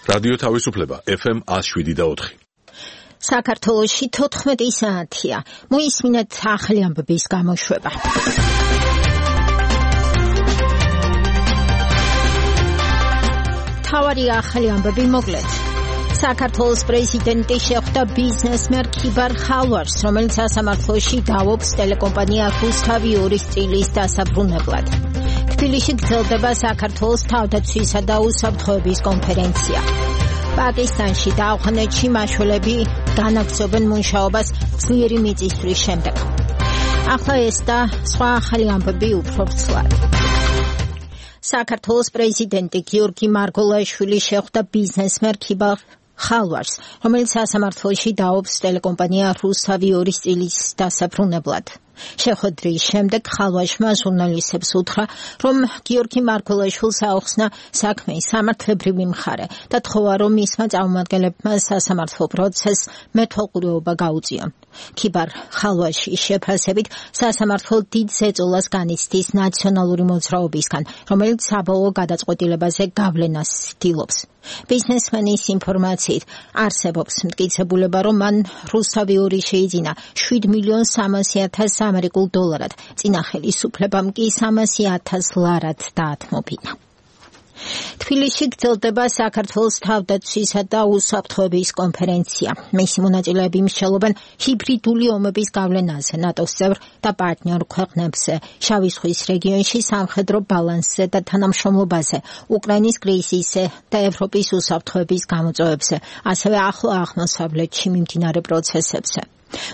რადიო თავისუფლება FM 107.4. საქართველოში 14 საათია. მოისმინეთ ახალი ამბების გამოშვება. თავარი ახალი ამბები მოკლედ. საქართველოს პრეზიდენტი შეხვდა ბიზნესმენ ქიბარ ხალვაშს, რომელიც სასამართლოში დავობს ტელეკომპანია რუსთავი 2 წილის დასაბრუნებლად. თბილისში გრძელდება საქართველოს თავდაცვისა და უსაფრთხოების კონფერენცია. პაკისტანში და ავღანეთში მაშველები განაგრძობენ მუშაობას ძლიერი მიწისძვრის შემდეგ. ახლა ეს და სხვა ახალი ამბები უფრო ვრცლად. საქართველოს პრეზიდენტი გიორგი მარგოლაშვილი შეხვდა ბიზნესმენ ქიბარ ხალვაშს, რომელიც სასამართლოში დაობს ტელეკომპანია რუსთავი 2 წილის დასაბრუნებლად. შეხვედრის შემდეგ ხალვაშმა ჟურნალისტებს უთხრა, რომ გიორგი მარგოლაშვილს აუხსნა საქმის სამართლებრივი მხარე და თხოვა, რომ მისმა წარმომადგენლებმა სასამართლო პროცესს მეთვალყურეობა გაუწიონ. ქიბარ ხალვაშის შეფასებით სასამართლო დიდ ზეწოლას განიცდის ნაციონალური მოძრაობისგან, რომელიც საბოლოო გადაწყვეტილებაზე გავლენას ცდილობს. ბიზნესმენის ინფორმაციით არსებობს მტკიცებულება, რომ მან რუსთავი 2 შეიძინა 7,300,000 ამერიკულ დოლარად, წინა ხელისუფლებამ კი 300,000 ლარად დაათმობინა. თბილისში გრძელდება საქართველოს თავდაცვისა და უსაფრთხოების კონფერენცია. მისი მონაწილეები მსჯელობენ ჰიბრიდული ომების გავლენაზე ნატოს წევრ და პარტნიორ ქვეყნებზე, შავი ზღვის რეგიონში სამხედრო ბალანსზე და თანამშრომლობაზე, უკრაინის კრიზისზე და ევროპის უსაფრთხოების გამოწვევებზე, ასევე ახლო აღმოსავლეთში მიმდინარე პროცესებზე.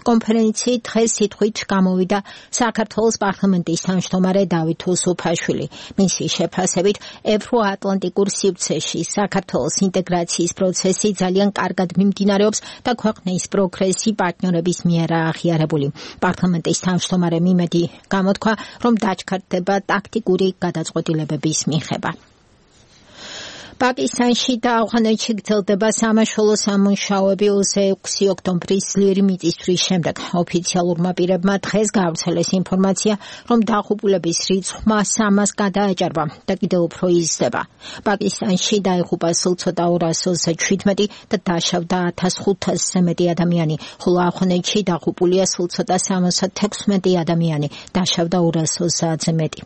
კონფერენციით დღეს სიტყვით გამოვიდა საქართველოს პარლამენტის თავმჯდომარე დავით უსუფაშვილი. მისი შეფასებით, ევროატლანტიკურ სივრცეში საქართველოს ინტეგრაციის პროცესი ძალიან კარგად მიმდინარეობს და ქვეყნის პროგრესი პარტნიორების მიერ აღიარებული. პარლამენტის თავმჯდომარემ იმედი გამოთქვა, რომ დაჩქარდება ტაქტიკური გადაწყვეტილებების მიღება. პაკისტანში და ავღანეთში გრძელდება სამაშველო სამუშაოები 26 ოქტომბრის ძლიერი მიწისძვრის შემდეგ. ოფიციალურმა პირებმა დღეს გაავრცელეს ინფორმაცია, რომ დაღუპულების რიცხვმა 300-ს გადააჭარბა და კიდევ უფრო იზრდება. პაკისტანში დაიღუპა სულ ცოტა 227 და დაშავდა 1500-ზე მეტი ადამიანი, ხოლო ავღანეთში დაღუპულია სულ ცოტა 76 ადამიანი, დაშავდა 230-ზე მეტი.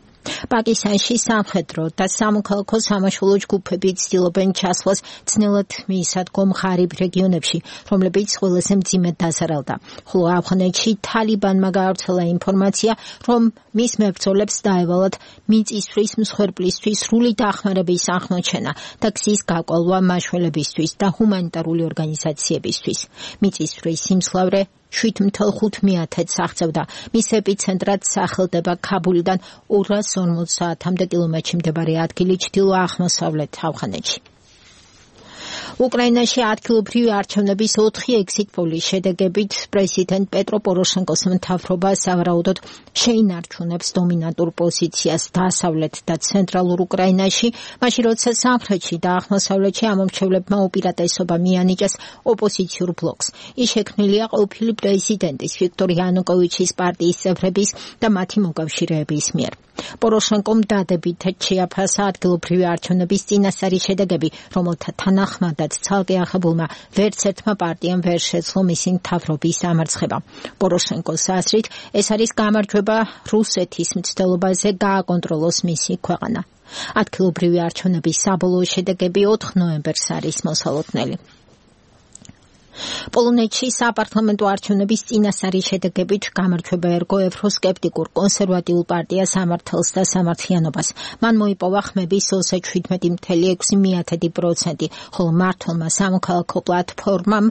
პაკისტანში სამხედრო და სამოქალაქო სამაშველო ჯგუფები ცდილობენ ჩასვლას ძნელად მისადგომ ღარიბ რეგიონებში, რომლებიც ყველაზე მძიმედ დაზარალდა. ხოლო ავღანეთში თალიბანმა გაავრცელა ინფორმაცია, რომ მის მებრძოლებს დაევალათ მიწისძვრის მსხვერპლისთვის სრული დახმარების აღმოჩენა და გზის გაკვალვა მაშველებისთვის და ჰუმანიტარული ორგანიზაციებისთვის. მიწისძვრის სიმძლავრე 7,500-ს აღწევდა. მის ეპიცენტრად სახელდება ქაბულიდან 250 კილომეტრში მდებარე ადგილი ჩრდილო-აღმოსავლეთ ავღანეთში. უკრაინაში ადგილობრივი არჩევნების 4 ეგზიტ პოლის შედეგებით პრეზიდენტ პეტრო პოროშენკოს მთავრობა სავარაუდოდ შეინარჩუნებს დომინანტურ პოზიციას დასავლეთ და ცენტრალურ უკრაინაში, მაშინ როცა სამხრეთში და აღმოსავლეთში ამომრჩევლებმა უპირატესობა მიანიჭეს ოპოზიციურ ბლოკს. ის შექმნილია ყოფილი პრეზიდენტის ვიქტორ იანუკოვიჩის პარტიის წევრების და მათი მოკავშირეების მიერ. პოროშენკომ დადებითად შეაფასა ადგილობრივი არჩევნების წინასწარი შედეგები, რომელთა თანახმადაც ცალკე აღებულმა ვერც ერთმა პარტიამ ვერ შეძლო მისი მთავრობის დამარცხება. პოროშენკოს აზრით, ეს არის გამარჯვება რუსეთის მცდელობაზე გააკონტროლოს მისი ქვეყანა. ადგილობრივი არჩევნების საბოლოო შედეგები 4 ნოემბერს არის მოსალოდნელი. პოლონეთში საპარლამენტო არჩევნების წინასწარი შედეგებით გამარჯვება ერგო ევროსკეპტიკურ კონსერვატიულ პარტიას სამართალს და სამართლიანობას. მან მოიპოვა ხმების 27,6%, ხოლო მმართველმა სამოქალაქო პლატფორმამ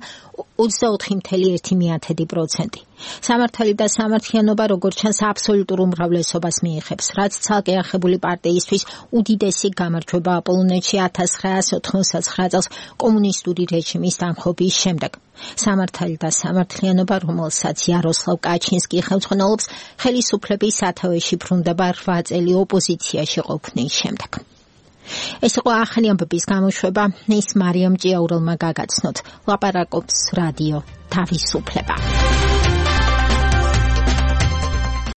24,1%. სამართალი და სამართლიანობა როგორც ჩანს აბსოლუტურ უმრავლესობას მიიღებს, რაც ცალკე აღებული პარტიისთვის უდიდესი გამარჯვებაა პოლონეთში 1989 წელს კომუნისტური რეჟიმის დამხობის შემდეგ. სამართალი და სამართლიანობა, რომელსაც იაროსლავ კაჩინსკი ხელმძღვანელობს, ხელისუფლების სათავეში ბრუნდება 8 წელი ოპოზიციაში ყოფნის შემდეგ. ეს იყო ახალი ამბების გამოშვება, ის მარიამ ჭიაურელმა გაგაცნოთ. ლაპარაკობს რადიო თავისუფლება.